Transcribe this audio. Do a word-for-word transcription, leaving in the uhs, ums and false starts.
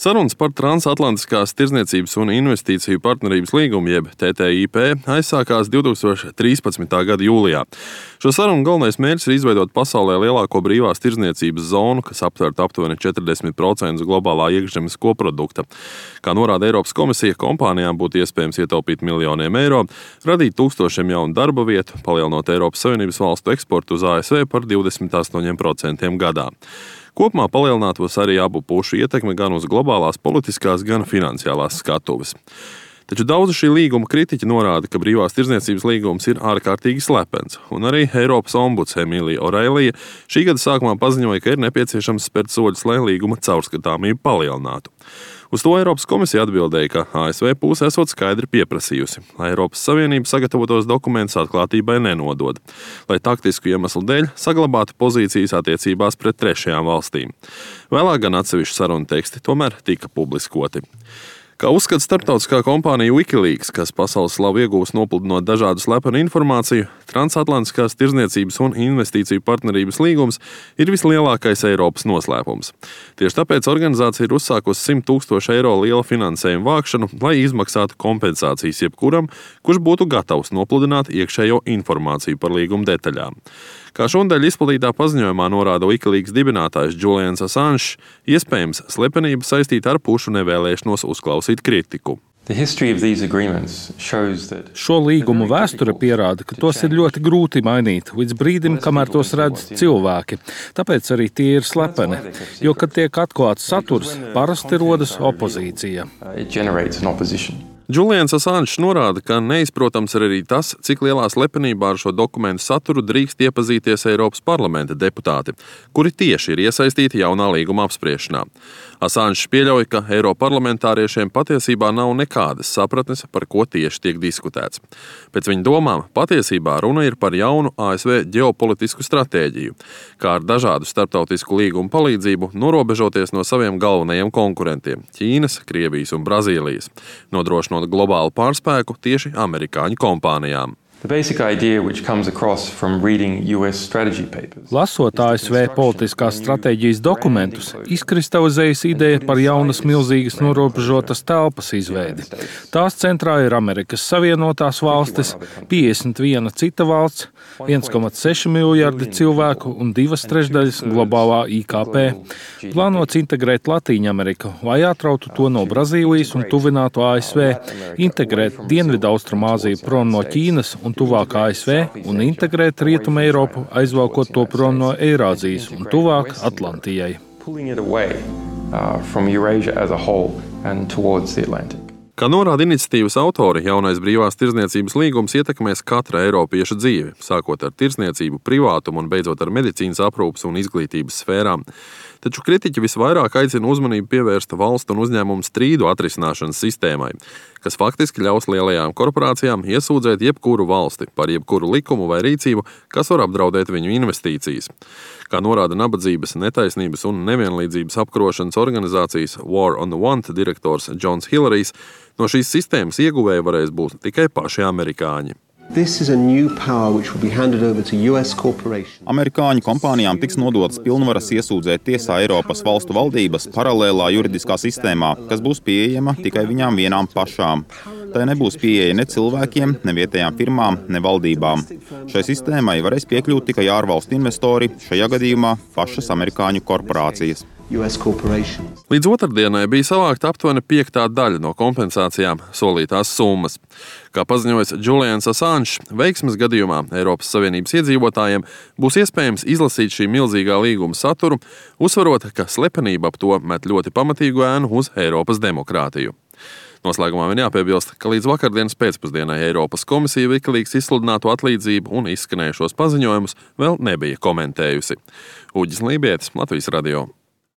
Sarunas par Transatlantiskās tirdzniecības un investīciju partnerības līgumu, jeb T T I P, aizsākās divtūkstoš trīspadsmitā gada jūlijā. Šo sarunu galvenais mērķis ir izveidot pasaulē lielāko brīvās tirdzniecības zonu, kas aptvertu aptuveni četrdesmit procentus globālā iekšzemes koprodukta. Kā norāda Eiropas komisija, kompānijām būtu iespējams ietaupīt miljoniem eiro, radīt tūkstošiem jaunu darba vietu, palielinot Eiropas Savienības valstu eksportu uz A S V par divdesmit astoņiem procentiem gadā. Kopumā palielinātos arī abu pušu ietekme gan uz globālās politiskās, gan finansiālās skatuves. Taču daudzi šī līguma kritiķi norāda, ka brīvās tirdzniecības līgums ir ārkārtīgi slepens, un arī Eiropas ombuds Emīlija Oreilija šī gada sākumā paziņoja, ka ir nepieciešams spērt soļus, lai līguma caurskatāmību palielinātu. Uz to Eiropas komisija atbildēja, ka A S V puse esot skaidri pieprasījusi, lai Eiropas Savienība sagatavotos dokumentus atklātībai nenodod, lai taktisku iemeslu dēļ saglabātu pozīcijas attiecībās pret trešajām valstīm. Vēlāk gan atsevišķi sarunu teksti tomēr tika publiskoti. Kā uzskata starptautiskā kompānija Wikileaks, kas pasaules slavu iegūst nopludinot dažādu slepenu informāciju, Transatlantiskās tirdzniecības un investīciju partnerības līgums ir vislielākais Eiropas noslēpums. Tieši tāpēc organizācija ir uzsākusi simt tūkstošu eiro liela finansējuma vākšanu, lai izmaksātu kompensācijas jebkuram, kurš būtu gatavs nopludināt iekšējo informāciju par līguma detaļām. Kā šonadēļ izplatītā paziņojumā norāda Wikileaks dibinātājs Julians Assange, iespējams slepenība saistīta ar pušu nevēlēšanos uzklausīt kritiku. Šo līgumu vēsture pierāda, ka tos ir ļoti grūti mainīt līdz brīdim, kamēr tos redz cilvēki. Tāpēc arī tie ir slepeni, jo, kad tiek atklāts saturs, parasti rodas opozīcija. Julians Assange norāda, ka neizprotams ir arī tas, cik lielā slepenībā ar šo dokumentu saturu drīkst iepazīties Eiropas parlamenta deputāti, kuri tieši ir iesaistīti jaunā līguma apspriešanā. Assange pieļauj, ka eiroparlamentāriešiem patiesībā nav nekādas sapratnes, par ko tieši tiek diskutēts. Pēc viņa domām, patiesībā runa ir par jaunu A S V ģeopolitisku stratēģiju, kā ar dažādu starptautisku līgumu palīdzību norobežoties no saviem galvenajiem konkurentiem – Ķīnas, Krievijas un Brazīlijas, nodrošinot globālu pārspēku tieši amerikāņu kompānijām. Lasot A S V politiskās stratēģijas dokumentus, izkristalizējas ideja par jaunas milzīgas norobežotas telpas izveidi. Tās centrā ir Amerikas Savienotās valstis, piecdesmit viena cita valsts, viens komats seši miljardi cilvēku un divas trešdaļas globālā I K P. Plānots integrēt Latīņameriku, lai atrautu to no Brazīlijas un tuvinātu A S V, integrēt Dienvidaustrumāziju prom no Ķīnas un tuvāk A S V un integrēt Rietumu Eiropu, aizvalkot to prom no Eirāzijas un tuvāk Atlantijai. Kā norāda iniciatīvas autori, jaunais brīvās tirdzniecības līgums ietekmēs katra eiropieša dzīvi, sākot ar tirdzniecību, privātumu un beidzot ar medicīnas aprūpes un izglītības sfērām. Taču kritiķi visvairāk aicina uzmanību pievērst valstu un uzņēmumu strīdu atrisināšanas sistēmai, kas faktiski ļaus lielajām korporācijām iesūdzēt jebkuru valsti par jebkuru likumu vai rīcību, kas var apdraudēt viņu investīcijas. Kā norāda nabadzības, netaisnības un nevienlīdzības apkarošanas organizācijas War on the Want direktors Džons Hillarijs, no šīs sistēmas ieguvēji varēs būt tikai paši amerikāņi. Amerikāņu kompānijām tiks nodotas pilnvaras iesūdzēt tiesā Eiropas valstu valdības paralēlā juridiskā sistēmā, kas būs pieejama tikai viņām vienām pašām. Tai nebūs pieeja ne cilvēkiem, ne vietējām firmām, ne valdībām. Šai sistēmai varēs piekļūt tikai ārvalstu investori, šajā gadījumā pašas amerikāņu korporācijas. Līdz otrdienai bija savākta aptuveni piektā daļa no kompensācijām solītās summas. Kā paziņojas Julians Assange, veiksmes gadījumā Eiropas Savienības iedzīvotājiem būs iespējams izlasīt šī milzīgā līguma saturu, uzsvarot, ka slepenība ap to met ļoti pamatīgu ēnu uz Eiropas demokrātiju. Noslēgumā vien jāpiebilst, ka līdz vakardienas pēcpusdienai Eiropas komisija Wikileaks izsludināto atlīdzību un izskanējušos paziņojumus vēl nebija komentējusi. Uģis Lībietis, Latvijas radio.